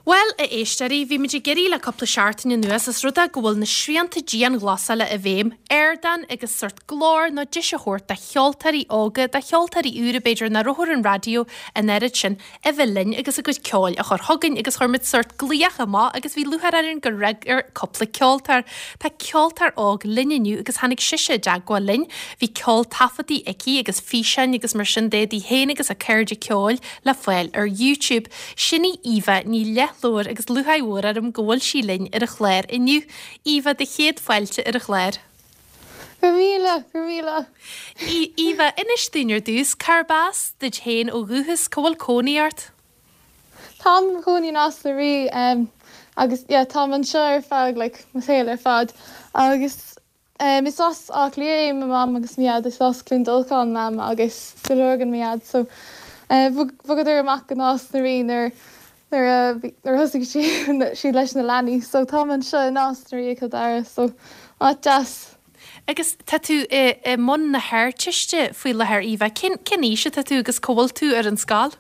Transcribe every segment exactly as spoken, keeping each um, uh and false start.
Bhuel, a éisteoirí, bhí muid ag iarraidh le cúpla seachtain anuas is rud é go bhfuil na srianta dianghlasála i bhfeidhm, ardán agus sórt glór nó deis a thabhairt do cheoltóirí óga, do cheoltóirí úra b'fhéidir nach raibh ar an raidió an oiread sin a bheith linn agus a gcuid ceoil a chur chugainn agus chuir muid sórt glaoch amach agus bhí lúcháir orainn gur fhreagair cúpla ceoltóir. Tá ceoltóir óg linn inniu agus tháinig sise i dteagmháil linn. Bhí ceol taifeadta aici agus físeáin agus mar sin de di féin agus a cairde ceoil le fáil ar YouTube. Sin í Eva Ní Leathlobhair agus lúcháir mhór orm go bhfuil sí linn ar an chlár inniu. Eva do chéad fáilte ar an chlár. Go míle go míle. Eva inis dúinn ar dtús cárb as duit féin ó dhúchas cá bhfuil cónaí ort? Táim i mo chónaí i Nás na Rí um, agus yeah, táim anseo ar feadh like, mo shaol ar fad agus um, is as Áth Cliath é mo mham agus mo dhaid is as Cluain Dolcáin mam agus sa Lorgain mo dhaid so uh, bhogadar amach go Nás na Rí nuair nuair a nuair thosaigh siad leis na leanaí, so táim anseo i Nás na Rí Cill Dara so áit deas. Agus tá tú i, i mbun na hArdteiste faoi láthair Eva, cén cén aois atá tú agus cá bhfuil tú ar an scoil?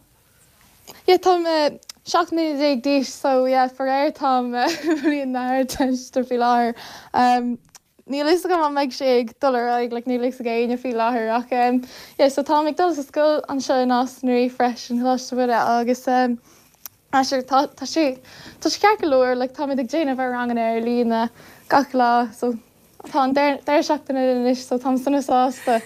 Yeah, táim uh, seacht mbliana déag d'aois so yeah, faraor táim uh, bliain na hArdteiste faoi láthair. Um, Níl fhios agam an mbeidh sé ag dul ar aghaidh like, níl fhios ag éinne faoi láthair ach um, yeah, so táim ag dul sa scoil anseo i Nás na Rí freisin Coláiste Mhuire agus um, sure, tá tá sé tá sé ceart go leor like, táimid ag déanamh ar ranganna ar líne gach lá so tá an deireadh seachtaine anois so táim sona sásta.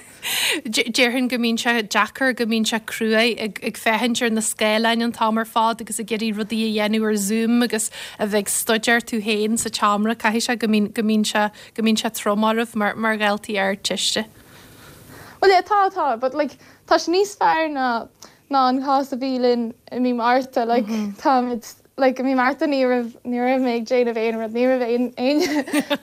Déarfainn go mbíonn sé deacair go mbíonn sé crua ag, ag féachaint ar na scáileáin an t-am ar fad agus ag iarraidh rudaí a dhéanamh ar Zoom agus a bheith ag staidéar tú féin sa tseomra caithfidh sé go mbíonn go mbíonn sé go mbíonn sé trom oraibh mar mar dhaltaí Ardteiste. Well yeah, tá tá, but like tá sé níos fearr ná ná an cás a bhí linn i mí Márta like mm -hmm. táimid like i mí Márta ní raibh ní raibh mé ag déanamh aon rud ní raibh aon aon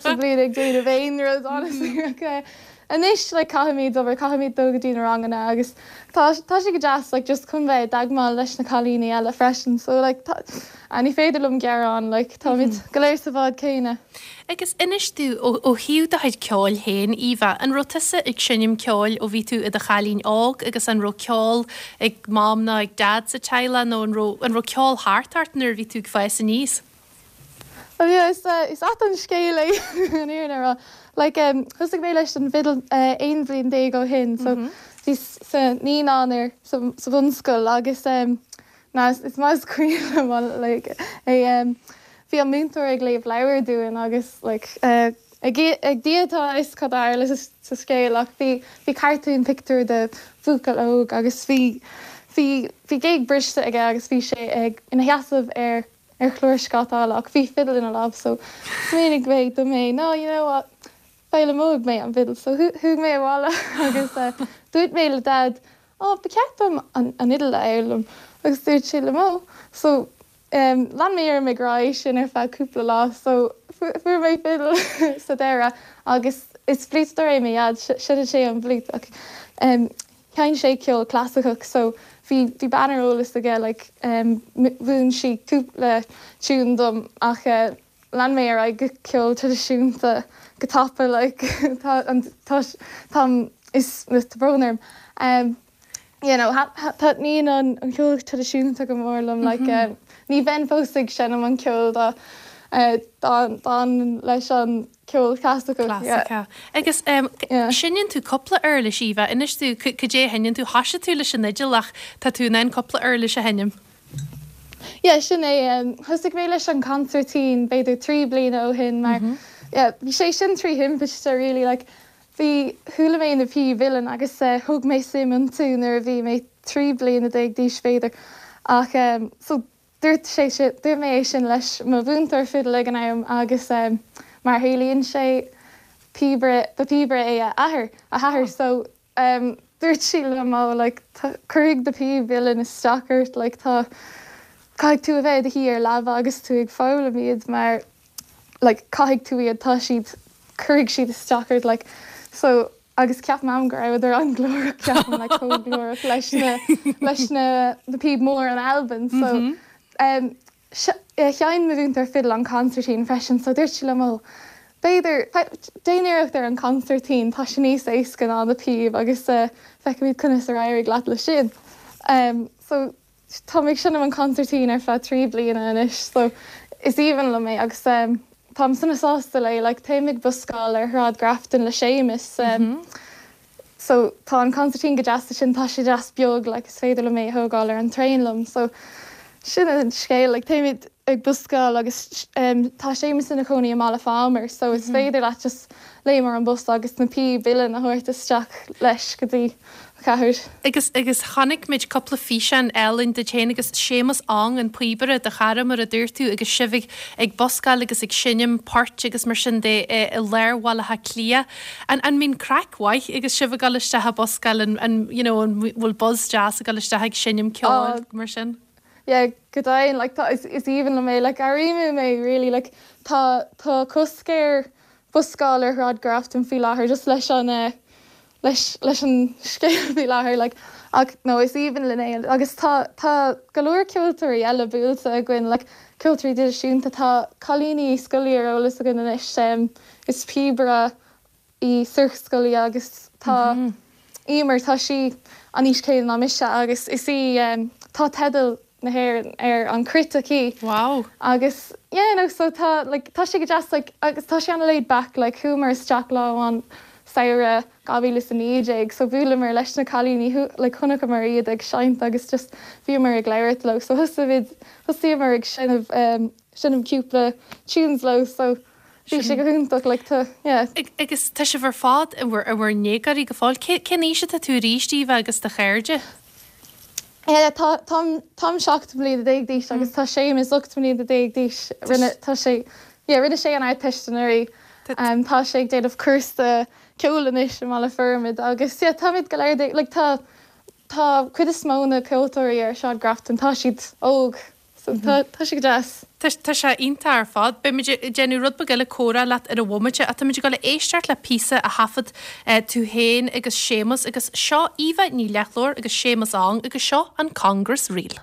sa bhliain ag déanamh aon rud honestly okay. Anois like caithfimid obair caithfimid dul go dtí na ranganna agus tá tá sé go deas like just chun bheith i dteagmháil leis na cailíní eile freisin so like tá a ní féidir liom gearán like táimid mm -hmm. go léir sa bhád céanna. Agus inis tú ó ó thaobh do chuid ceoil féin Eva, an raibh tusa ag seinm ceoil ó bhí tú i do chailín óg agus an raibh ceol ag mam nó ag dad sa teaghlach nó an raibh an raibh ceol thart ort nuair a bhí tú ag fás aníos? Well yeah, is uh, is ait an scéal é an fhírinne a rá. Like um, thosaigh mé leis an bhfidil uh, aon bhliain déag ó shin, so mm -hmm. bhí sa naíonáin ar sa, sa bhunscoil agus um, na is, is maith is cuimhin liom like é um, bhí an múinteoir ag léamh leabhar dúinn agus like uh, ag ag Dia atá a fhios cad a tharla sa scéal ach bhí bhí cartún pictiúr de bhuachaill óg agus bhí bhí bhí géag briste aige agus bhí sé ag ina sheasamh ar ar chlár scátála ach bhí fidil ina lámh so smaoinigh mé dom mé no you know what foghlaimeoidh mé an fidil so chuaigh mé abhaile agus uh, dúirt mé le dad ó ba cheart dom an an fhidil a fhoghlaim agus dúirt sé liom ó so um, lean mé ar mé rá sin ar feadh cúpla lá so fuair mé fidil sa deireadh agus is fliúiteoir é mo dhaid seinneann sé an fhliúit ach um, sheinn sé ceol clasaiceach so bhí bhí bean ar eolas aige like um, mhúin sí cúpla tiún dom ach uh, lean mé ar aghaidh go ceol traidisiúnta go tapa like tá an tá tá is is brón orm um, you know taitníonn an an ceol traidisiúnta go mór liom like mm -hmm. um, ní bheinn fós ag seinm an ceol dá uh, dá leis an ceol clasaiceach. Yeah. Agus um, yeah. seinneann tú cúpla uirlis Eva inis tú cad é a sheinneann tú thosaigh tú leis an fhidil ach tá tú in ann cúpla uirlis a sheinm. Yeah, sin é um, thosaigh mé leis an consairtín b'fhéidir trí bliana ó shin mar mm -hmm. yeah, bhí sé sin trí thimpiste really like, bhí chuala mé na píob uilleann agus uh, thug mé suim iontu nuair a bhí mé trí bliana déag d'aois b'fhéidir ach um, so dúirt sé dúirt mé é sin leis mo mhúinteoir fidil ag an am agus um, mar tharlaíonn sé píobaire ba píobaire é a athair a hathair oh. so um, dúirt sí liom ó like cuirfidh na píob uilleann isteach ort like tá caithfidh tú a bheith i do shuí ar leaba agus tú ag foghlaim iad mar like caithfidh tú iad tá siad cuirfidh siad isteach ort like so agus ceap mam go rabhadar an-ghlórach ceapaim like chomh glórach leis na leis na na píob mór in Albain so mm -hmm. um, sheinn mo mhúinteoir fidil an consairtín freisin so dúirt sí liom ó b'fhéidir déan iarracht ar an consairtín tá sé níos éasca ná na píob agus uh, feicimid conas a éireoidh leat le sin. Um, so tá mé ag seinm an consairtín ar feadh trí bliana anois so is aoibhinn liom é agus um, táim sona sásta le like táim ag buscáil ar Shráid Grafton le Séamus um, mm -hmm. so tá an consairtín go deas sin tá sé deas beag like is féidir liom é a thógáil ar an traein liom so sin an scéal like táimid ag buscáil agus um, tá Séamus ina chónaí i mBaile Phámar so is mm -hmm. féidir leat just léim ar an bus agus na píob uilleann a thabhairt isteach leis go dtí cathair. Agus agus chonaic muid cúpla físeán eile de féin agus Séamus Ong an píobaire do chara mar a dúirt tú agus sibh ag ag buscáil agus ag seinm poirt agus mar sin de i lár Bhaile Átha Cliath. An an mbíonn craic mhaith agus sibh ag dul isteach ag buscáil an an you know an bhfuil buzz deas ag dul isteach ag seinm ceoil oh. mar sin? Yeah, go deimhin like tá is, is aoibhinn liom é like airím mé really like tá tá cosc ar buscáil ar Shráid Grafton faoi láthair just leis an uh, leis leis an scéal faoi láthair like ach no is aoibhinn linn é agus tá tá go leor ceoltóirí eile buailte againn like ceoltóirí traidisiúnta tá Cailín Ní Scolaí ar eolas againn anois um, is píobaire í Sorcha Scully agus tá mm -hmm. Emer tá sí an aois céanna ná mise agus is í um, tá teideal na hÉireann ar an cruit aici. Wow. Agus yeah, no, so tá like, tá sé go deas like, agus tá sé an laid back like, chuamar isteach lá an samhradh dhá mhíle is a naoi déag, so bhuaileamar leis na cailíní like, chonaiceamar iad ag seinnt agus just bhíomar ag labhairt leo, so thosaigh thosaíomar ag seinm um, seinm cúpla tunes leo, so bhí sé go hiontach like, tá yeah. Agus tá sibh ar fad i bhur i bhur ndéagóirí go fóill cén aois atá tú arís Aoibhe agus do chairde? Yeah, tá táim seacht mbliana déag d'aois agus tá Séamus ocht mbliana déag d'aois rinne tá sé yeah, rinne sé an Ardteist anuraidh um, tá sé ag déanamh cúrsa ceoil anois i mBaile Formaid agus yeah, táimid go léir like, tá tá cuid is mó na ceoltóirí ar Shráid Grafton tá siad óg so tá tá sé go deas. Tá sé iontach ar fad, Beimid ag déanamh rud beag eile comhrá leat ar an bhomaite ach táimid ag dul a éisteacht le píosa a thaifead tú féin agus Séamus agus seo Aoibhe Ní Leathlobhair agus Séamus Ong agus seo an Congress Reel.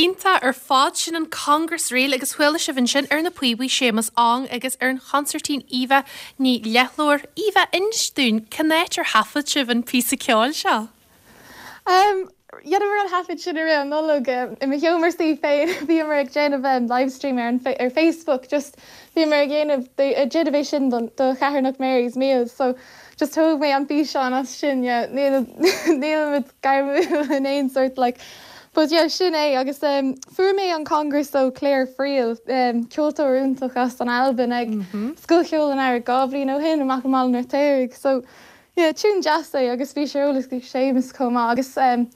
Iontach ar fad sin an Congress Reel agus chuala sibh ansin ar na píobaí Séamus Ong agus ar an chonsairtín Aoibhe Ní Leathlobhair Aoibhe inis dúinn cén áit ar thaifead sibh an píosa ceoil seo. Um, Dhéanamar an taifead sin ar an Nollaig i mo sheomra suí féin bhíomar ag déanamh um, livestream ar, ar Facebook just bhíomar ag déanamh déanamh é sin don do Chatharnach Mary's Meals so just thóg mé an físeán as sin níl gairmiúil in aon sort like But yeah, sin é agus um, fuair mé an Congress ó Claire Friel um, ceoltóir iontach as an Albain ag mm -hmm. Scoil Cheoil an Earraigh dhá bhliain ó shin amach an Feirtéaraigh so yeah, tune deas é agus bhí sé eolas ag Séamus chomh maith agus um,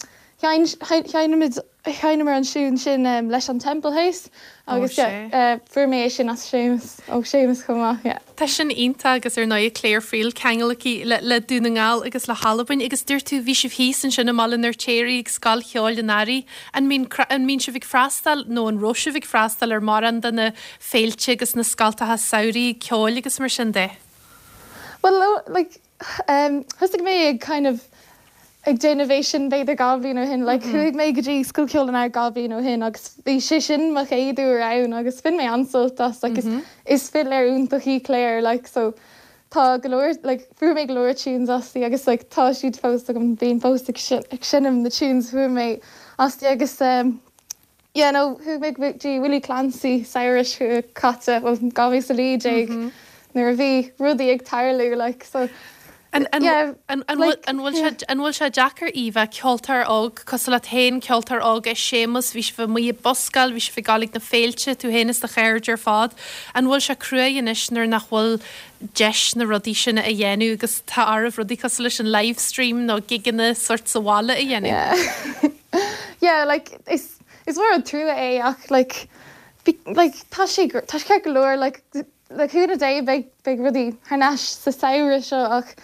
Sheinneamar an tune sin um, leis an Temple House agus uh, fuair mé sin as Séamus ó Séamus chomh maith. Yeah. Tá sin iontach agus ar ndóigh Claire Friel ceangal aici le, le Dún na nGall agus le hAlbain agus dúirt tú bhí sibh thíos ansin i mBaile an Fheirtéaraigh ag Scoil Cheoil an Earraigh an mbíonn an mbíonn sibh ag freastal nó an raibh sibh ag freastal ar mórán de na féilte agus na scoltacha samhraidh ceoil agus mar sin de. Well like um, thosaigh mé ag kind of ag déanamh é sin b'fhéidir dhá bhliain ó shin, like chuaigh mé go dtí Scoil Cheoil an Earraigh dhá bhliain ó shin agus bhí sé sin mo chéad uair ann agus bhain mé an-sult as like, mm -hmm. is, is fidléir iontach í Claire like, so tá go leor like, fuair mé go leor tunes aisti agus like, tá siad fós agam bím fós ag seinm na tunes fuair mé aisti agus um, yeah, no, chuaigh mé go dtí Willie Clancy samhradh seo caite well, dhá mhíle a naoi déag mm -hmm. nuair a bhí rudaí ag tarlú like, so An bhfuil sé deacair Eva ceoltóir óg cosúil leat féin ceoltóir óg é Séamus bhí sibh amuigh ag buscáil, bhí sibh ag gabháil ag na féilte tú féin is do chairde ar fad. An bhfuil sé cruaidh anois nuair nach bhfuil deis na rudaí sin a dhéanamh agus tá oraibh rudaí cosúil leis an livestream nó gigeanna sort sa bhaile a dhéanamh. Yeah. yeah, like is is mór an trua é ach like be, like tá sé tá sé go leor like le cúnamh Dé beidh beidh rudaí thar n-ais sa samhradh seo ach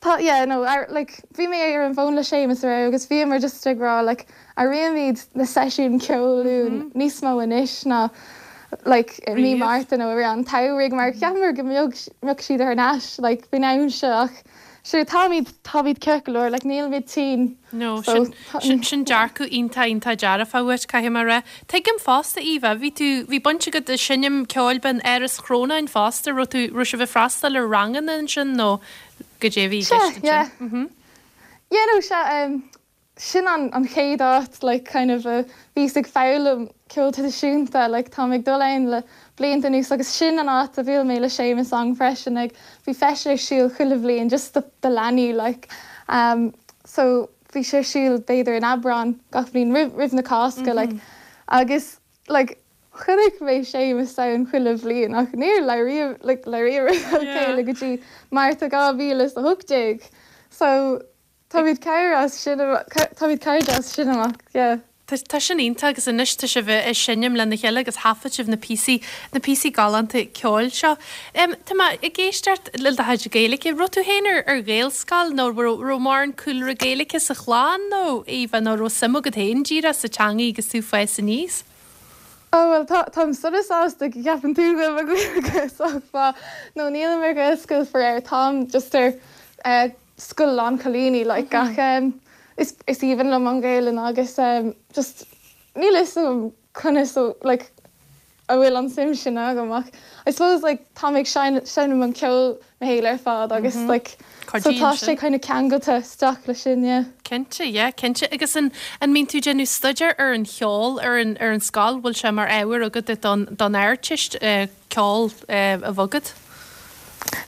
tá yeah, no, ar, like, bhí mé ar an bhfón le Séamus aréir agus bhíomar just ag rá like, airímid na seisiún ceoil mm -hmm. níos mó anois ná like, mí Márta nó ar an tsamhraidh mar cheapamar go mbeadh siad thar n-ais like, faoin am seo ach Sure táimid táimid ceart go leor like, nílimid tinn. No, so, sin sin dearcadh iontach iontach dearfach uait caithfidh mé a rá. Tuigim fosta Eva, bhí tú bhí baint agat le seinm ceoil in Áras Chrónáin fosta raibh tú raibh sibh ag freastal ar ranganna ansin nó goidé a bhí Yeah, yeah. Yeah, no, se um, sin an, an chéad áit like, kind of uh, bhíos ag foghlaim ceol traidisiúnta like, tá ag dul ann le blianta anuas agus sin an áit a bhuail mé le Séamus ann freisin ag bhí feis ar siúl chuile bhliain just do, do leanaí like, um, so bhí sé ar siúl b'fhéidir in Aibreán gach bliain roimh, roimh na Cásca mm -hmm. like, agus like, chonaic mé Séamus ann chuile bhliain ach níor labhraíomar like, labhraíomar yeah. go dtí Márta dhá mhíle a hocht déag. So táimid cairde as sin táimid cairde as sin amach yeah. Tá sin iontach agus anois tá sibh ag seinm lena chéile agus thaifead sibh na píosaí na píosaí galánta ceoil seo. Um, Tá mé ag éisteacht le do chuid Gaeilge, raibh tú féin ar ar Ghaelscoil nó raibh mórán cúlra Gaeilge sa chlann nó Eva nó raibh suim agat féin díreach sa teanga agus tú ag fás aníos? Oh well tá táim sona sásta go gceapann tú go bhfuil sách nó nílim ar Ghaelscoil faraor táim just ar uh, scoil lánchailíní like gach um, is is aoibhinn liom an Ghaeilge agus um, just níl a fhios agam conas so like a bhfuil an suim sin agam ach I suppose like tá ag seinm an ceol mo shaol ar fad agus mm -hmm. like so tá sé kind of ceangailte isteach le sin yeah. Cinnte, yeah, cinnte agus an an mbíonn tú ag déanamh staidéar ar an cheol ar an ar an scoil bhfuil sé mar ábhar agat don don Ardteist uh, ceol uh, a bheith agat?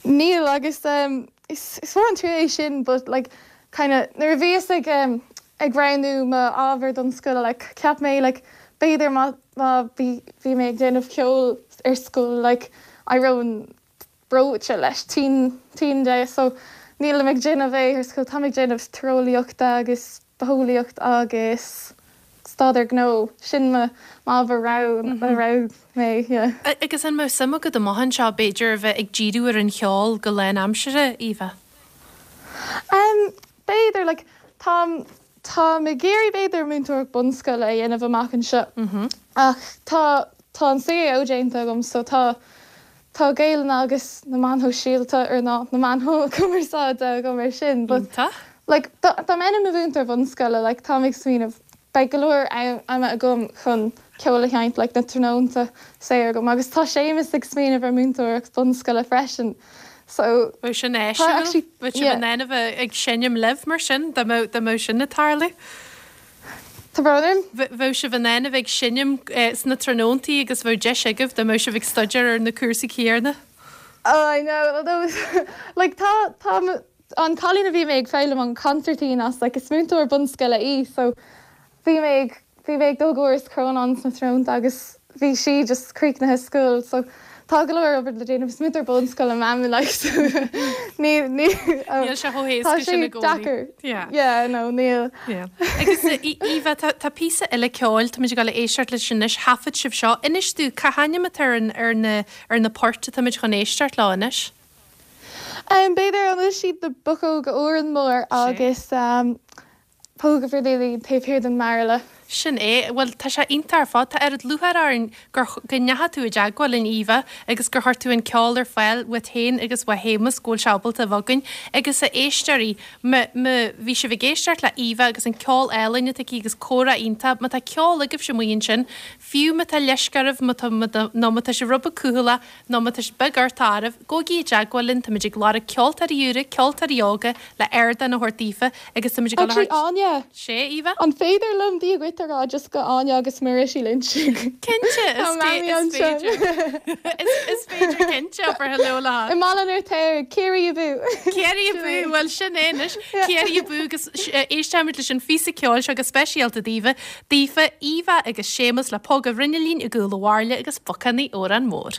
Níl agus um, is is mór an trua é sin but like kind of nuair a bhíos ag um, ag roghnú m'ábhar don scoil like ceap mé like b'fhéidir má má bhí bhí mé ag déanamh ceol ar scoil like éireoinn breoite leis tinn tinn de so nílim ag déanamh é ar scoil tá ag déanamh tíreolaíochta agus bitheolaíocht agus staidéar gnó sin m'ábhar roghnaigh mé yeah. Agus an mbeadh suim agat amach anseo b'fhéidir a bheith ag díriú ar an cheol go lánaimseartha Eva? Um, b'fhéidir like, tá tá ag iarraidh b'fhéidir múinteoireacht bunscoile a dhéanamh amach anseo mm -hmm. ach tá tá an CAO déanta agam so tá tá Gaeilge agus na meáin shóisialta ar ná na meáin chumarsáide agam ar sin but like dá mbeinn i mo mhúinteoir bunscoile like tá ag smaoineamh beidh go leor ama agam chun ceol a sheinnt like na tráthnónta saor agam agus tá Séamus ag smaoineamh ar múinteoireacht bunscoile freisin. So Bheadh sin áisiúil ag seinm libh mar sin dá mbeadh sin ag tarlú? Tá brón orm. Bheadh sibh in ann a bheith ag seinm sna tráthnóntaí agus bheadh deis agaibh dá mbeadh sibh ag staidéar ar na cúrsaí céanna. Oh, I know. Although, like, tá, tá an cailín a bhí mé ag foghlaim an concertina as, like, is múinteoir bunscoile í, so bhí mé ag, bhí mé ag dul go Áras Chrónáin sna tráthnónta agus bhí sí just críochnaithe school, so tá go leor obair le déanamh is múinteoir bunscoile mama like so ní ní Níl sé chomh héasca tá sin sé i gcónaí. deacair. Yeah. Yeah, no, níl. Yeah. Agus Aoibhe tá tá píosa eile ceoil táimid ag dul a éisteacht leis anois thaifead sibh seo. Inis dúinn cá hainm atá ar an ar na ar na poirt atáimid chun éisteacht leo anois. Um, b'fhéidir an bhfuil siad na Buchóga Óran Mór agus um, Póg an Bhruinnillín taobh thiar den mbairille. Sin é, bhuel tá sé iontach ar fad, tá oiread lúcháir orainn gur go ndeachaigh tú i dteagmháil linn Aoibhe agus gur chuir tú an ceol ar fáil uait féin agus uaidh Shéamus go bhfuil sé ábalta a bheith againn agus a éisteoirí má má bhí sibh ag éisteacht le Aoibhe agus an ceol álainn atá aici agus comhrá iontach, má tá ceol agaibhse amuigh ansin, fiú má tá leisce oraibh má tá nó má tá sibh rud beag cúthaileach nó má tá beag ort áireamh, gabhaigí i dteagmháil linn, táimid ag lorg ceoltóirí úra, ceoltóirí óga le ardán a thabhairt daofa agus táimid ag dul a Actually, thabhairt Áine, sé Aoibhe? an féidir liom Dia dhuit a rá just go Áine agus Muiris Lynch. Cinnte Tá is mamaí is anseo. féidir. Is is féidir cinnte for hello le I mBaile an Fheirtéaraigh, Ciarraí abú. Ciarraí abú bhuel sin é anois Ciarraí abú agus éisteimid leis an phíosa ceoil seo go speisialta daoibh, daofa Aoibhe agus Séamus le Póg an Bhruinnillín i gCúl an Bhairille agus Bocánaigh Órán Mór.